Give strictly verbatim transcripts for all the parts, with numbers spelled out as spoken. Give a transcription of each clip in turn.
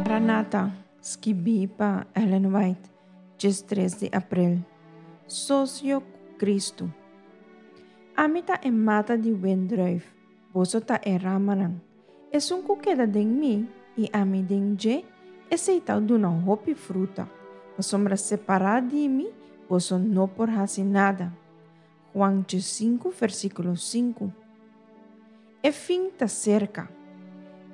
Maranata, skibí pa Ellen White, diestres di aprel. Sosio ku Kristu. Ami ta e mata di wendrùif, boso ta e ramanan. Esun ku keda den mi i ami den dje, esei ta duna hopi fruta, pasobra separá di mi boso no por hasi nada. Juan sinku, versíkulo sinku. E fin ta serka.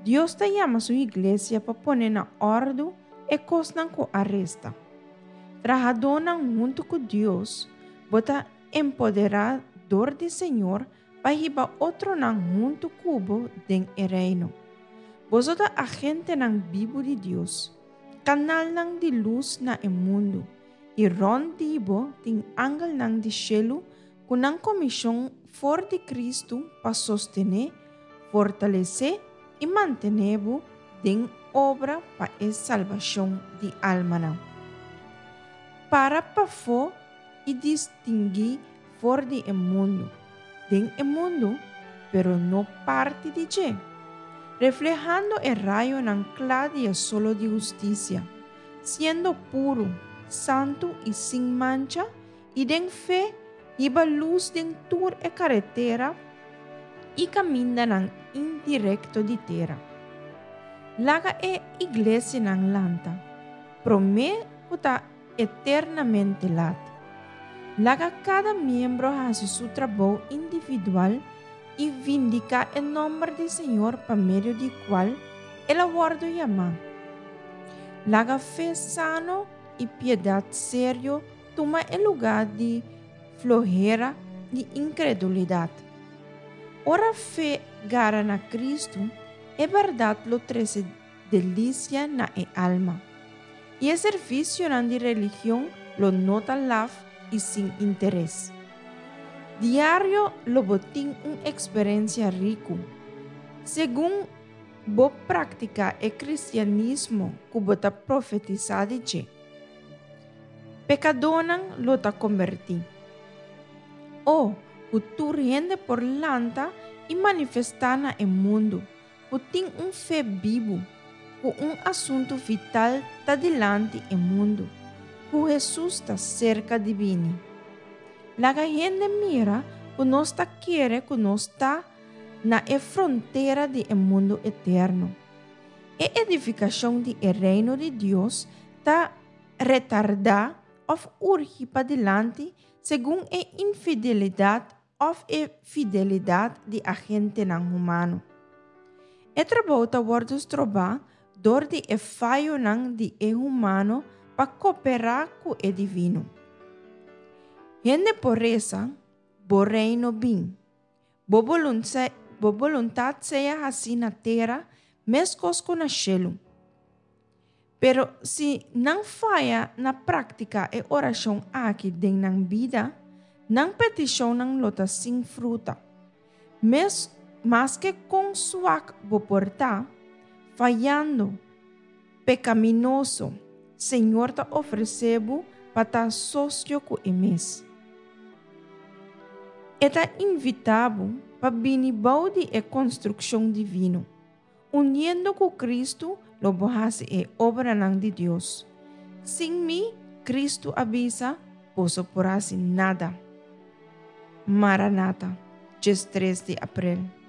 Dios ta yama su iglesia pa pone na òrdu e kosnan ku a resta. Trahadónan huntu ku Dios, bo ta empoderá dor di Señor pa hiba otronan huntu ku bo den e reino. Boso ta agentenan bibu di Dios, kanalnan di lus na e mundu, i rònt di bo tin angelnan di shelu ku nan komishon for di Kristu pa sostené, fortalesé i mantené bo den obra pa e salbashon di almanan. Para pafó i distinguí for di e mundu, den e mundu, pero no parti di dje, reflehando e rayonan kla di e solo di hustisia, siendo puru, santu i sin mancha, i den fe hiba lus den tur e karetera i kamindanan indirekto di tera. Laga e iglesianan lanta, promé ku ta eternamente lat. Laga kada miembro hasi su trabou individual i vindiká e nòmber di Señor pa medio di kual el a wòrdu yamá. Laga fe sano i piedat serio tuma e lugá di flohera i inkredulidat. Ora fe gara na Kristu, e bèrdat lo trese delisia na e alma. I e servisionan di religion lo no ta laf i sin interes. Diario lo bo tin un eksperensia riku. Segun bo praktiká e kristianismo ku bo ta profetisá di dje. Pekadónan lo ta kombertí. O, ku tur hende por lanta i manifestá na e mundu ku tin un fe bibu, ku un asuntu vital ta dilanti e mundu, ku Hesus ta serka di bini. Laga hende mira ku nos ta kere ku nos ta na e frontera di e mundu eterno. E edifikashon di e reino di Dios ta retardá òf urgi padilanti segun e infidelidat òf e fidelidat di agentenan humano. E trabou ta wòrdu strobá dor di e fayonan di e humano pa koperá ku e divino. Hende por resa, Bo reino bin. Bo bo boluntat sea hasí na tera meskos ku na shelu. Pero si nan faya na praktiká e orashon aki den nan bida, nan petishonnan lo ta sin fruta. Mes maske kon suak bo por ta, fayando, pekaminoso, Señor ta ofresé bo pa ta sosio ku E mes. E ta invitá bo pa bini bou di e konstrukshon divino. Uniendo ku Kristu lo bo hasi e obranan di Dios. Sin mi, Kristu a bisa, boso por hasi nada. Maranata, diestres di aprel.